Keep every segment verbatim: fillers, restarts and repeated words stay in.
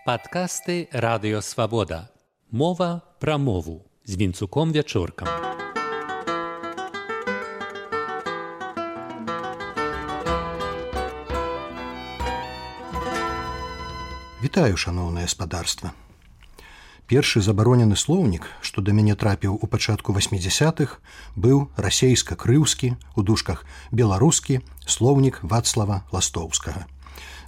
Падкасты Радыё Свабода. Мова пра мову з Вінцуком Вячоркам. Вітаю, шаноўнае спадарства. Першы забаронены слоўнік, што да мяне трапіў у пачатку васьмідзясятых, быў расейска-крыўскі, у дужках беларускі слоўнік Вацлава Ластоўскага.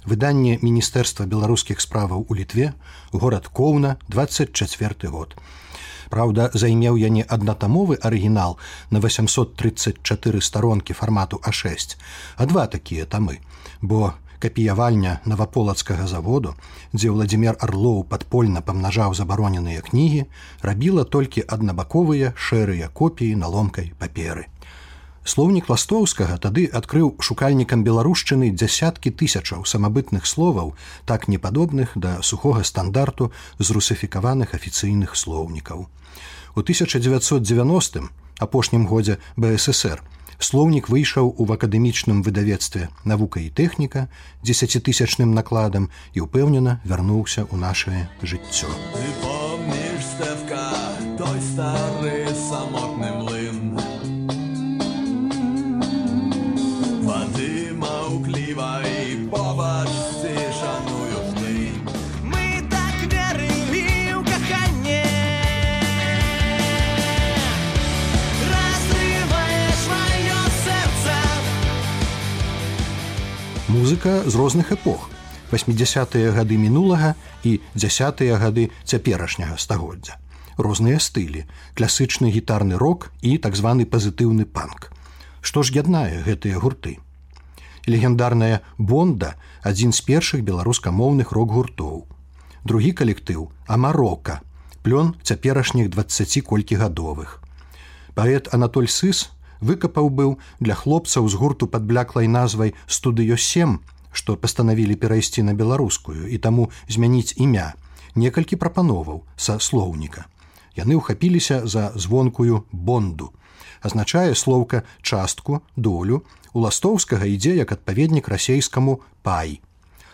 Выданне Міністэрства беларускіх справаў у Літве, горад Коўна, дваццаць чацвёрты год. Праўда, займеў я не аднатамовы арыгінал на васямсот трыццаць чатыры старонкі фармату а шэсць, а два такія тамы, бо капіявальня Наваполацкага заводу, дзе Владзімір Арлоў падпольна памнажаў забароненыя кнігі, рабіла толькі аднабаковыя шэрыя копіі на ломкай паперы. Слоўнік Ластоўскага тады адкрыў шукальнікам беларушчыны дзясяткі тысячаў самабытных словаў, так непадобных да сухога стандарту зрусыфікаваных афіцыйных слоўнікаў. У тысяча дзевяцьсот дзевяностым, апошнім годзе бэ эс эс эр, слоўнік выйшаў у акадэмічным выдавецтве «Навука і тэхніка» дзесяцітысячным накладам і ўпэўнена вярнуўся ў нашае жыццё. Ты помніш, Стефка, той стары самотны млын? Вады маўклівай побач цішаную жны. Мы так верылі ў каханне. Разрываеш маё сэрца. Музыка з розных эпох. васьмідзясятыя гады мінулага і дзясятыя гады цяперашняга стагоддзя. Розныя стылі, класычны гітарны рок і так званы пазітыўны панк. Што ж яднае гэтыя гурты? Легендарная «Бонда» – адзін з першых беларускамоўных рок-гуртоў. Другі калектыў – «Амарока» – плён цяперашніх дваццаці колькігадовых. Паэт Анатоль Сыс выкапаў быў для хлопцаў з гурту пад бляклай назвай «Студыё сем», што пастанавілі перайсці на беларускую і таму змяніць імя, некалькі прапановаў са слоўніка. Яны ўхапіліся за звонкую «Бонду». Азначае слоўка «частку», «долю», у Ластоўскага ідзе як адпаведнік расейскаму «пай».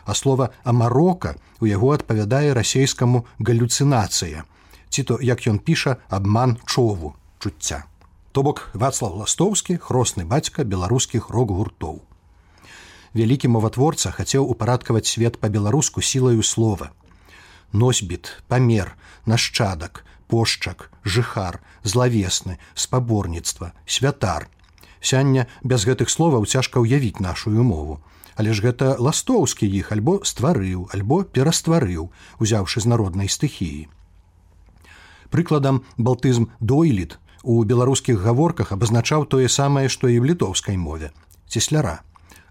А слова «амарока» у яго адпавядае расейскаму «галюцынацыя», ці то, як ён піша, «абман чову», чуцця. То бок Вацлаў Ластоўскі – хросны бацька беларускіх рок-гуртоў. Вялікі моватворца хацеў упарадкаваць свет па-беларуску сілаю слова. Носьбіт, памер, нашчадак, пошчак, жыхар, злавесны, спаборніцтва, святар. Сяння без гэтых словаў цяжка ўявіць нашую мову. Але ж гэта Ластоўскі іх альбо стварыў, альбо перастварыў, узяўшы з народнай стыхіі. Прыкладам, балтызм «дойлід» у беларускіх гаворках абазначаў тое самае, што і ў літоўскай мове – цесляра.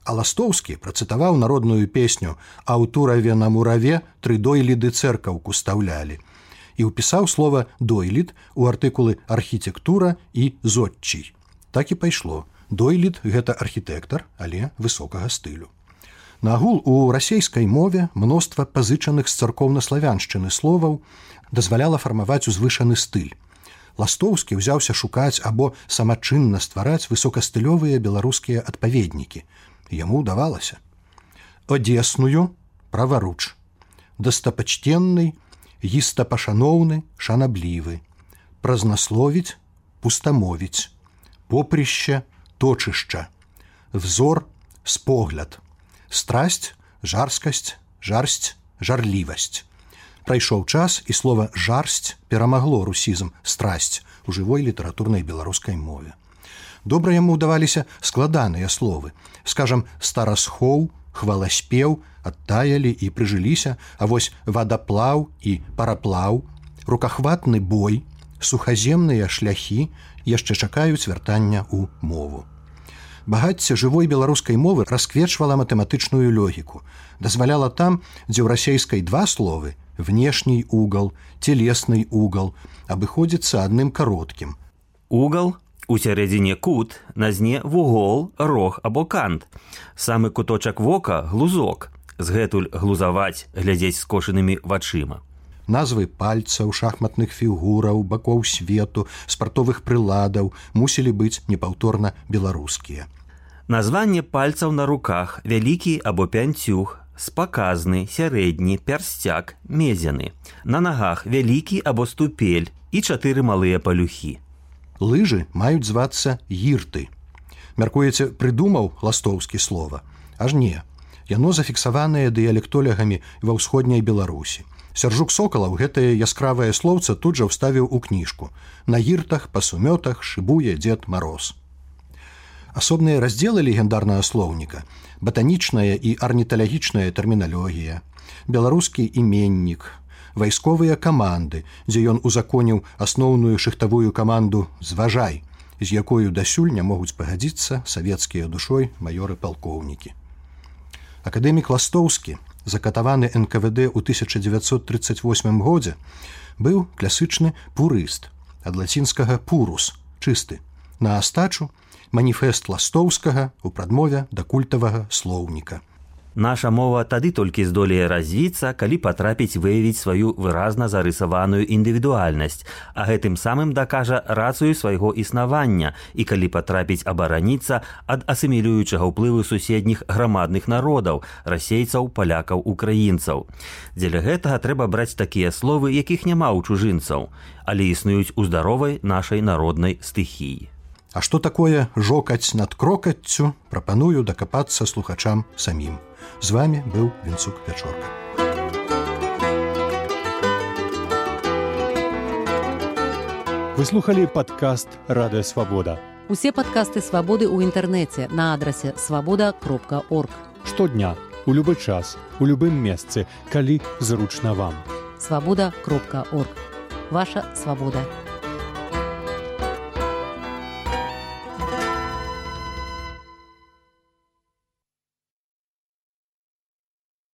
А Ластоўскі працытаваў народную песню «А ў тураве на мураве тры дойліды цэркаўку стаўлялі» і ўпісаў слова «дойлід» у артыкулы «архітэктура» і «зодчий». Так і пайшло. Дойлід – гэта архітэктар, але высокага стылю. Нагул у расейскай мове мноства пазычаных з царкоўна-славяншчыны словаў дазваляла фармаваць узвышаны стыль. Ластоўскі ўзяўся шукаць або самачынна ствараць высокастылёвыя беларускія адпаведнікі. Яму ўдавалася. Одесную – праваруч. Дастапачтенны – гістапашаноўны, шанаблівы. Празнасловіць – пустамовіць. Попрыще – точышча. Взор – спогляд. Страсць – жарскасць, жарсць, жарлівасць. Прайшоў час, і слова «жарсць» перамагло русізм «страсць» у жывой літаратурнай беларускай мове. Добра яму ўдаваліся складаныя словы. Скажам, старасхоў, хваласпеў адтаялі і прыжыліся, а вось вадаплаў і параплаў, рукахватны бой, сухаземныя шляхі яшчэ чакаюць вяртання ў мову. Багацце жывой беларускай мовы расквечвала матэматычную логіку, дазваляла там, дзе ў расейскай два словы – внешний угол, телесный угол – абыходзіцца адным кароткім. Угол – у сярэдзіне кут, на зне вугол, рог або кант. Самы куточак вока – глузок. Згэтуль глузаваць, глядзець скошанымі вачыма. Назвы пальцаў, шахматных фігураў, бакоў свету, спартовых прыладаў мусілі быць непаўторна беларускія. Названне пальцаў на руках, вялікі або пянцюг, спаказны, сярэдні, пярсцяк, мезяны. На нагах вялікі або ступель і чатыры малыя палюхі. Лыжы маюць звацца гірты. Мяркуеце, прыдумаў Ластоўскі слова? Аж не. Яно зафіксаванае дыялектолягамі ва ўсходняй Беларусі. Сяржук Сокалаў гэтае яскравае слоўца тут жа ўставіў у кніжку. На гіртах, па сумётах шыбуе Дзед Мароз. Асобныя раздзелы легендарнага слоўніка – батанічная і арніталагічная тэрміналогія, беларускі іменнік, вайсковыя каманды, дзе ён узаконіў асноўную шыхтавую каманду «Зважай», з якою дасюль не могуць пагадзіцца савецкія душой маёры-палкоўнікі. Акадэмік Ластоўскі, закатаваны эн ка вэ дэ ў тысяча дзевяцьсот трыццаць восьмым годзе, быў класычны пурыст, ад лацінскага «пурус» – чысты. На астачу – маніфест Ластоўскага ў прадмове да культавага слоўніка. Наша мова тады толькі здолее развіцца, калі патрапіць выявіць сваю выразна зарысаваную індывідуальнасць, а гэтым самым дакажа рацыю свайго існавання і калі патрапіць абараніцца ад асімілюючага ўплыву суседніх грамадных народаў, расейцаў, палякаў, украінцаў. Дзеля гэтага трэба браць такія словы, якіх няма ў чужынцаў, але існуюць у здаровай нашай народнай стыхіі. А што такое жокаць над крокаццю, прапаную дакапацца слухачам самім. З вами быў Вінцук Пячорка. Вы слухали падкаст «Радыё Свабода». Усе падкасты «Свабоды» ў інтэрнэце на адрасе свабода кропка орг. Штодня, у любы час, у любым месцы, калі зручна вам. свабода кропка орг. Ваша свабода.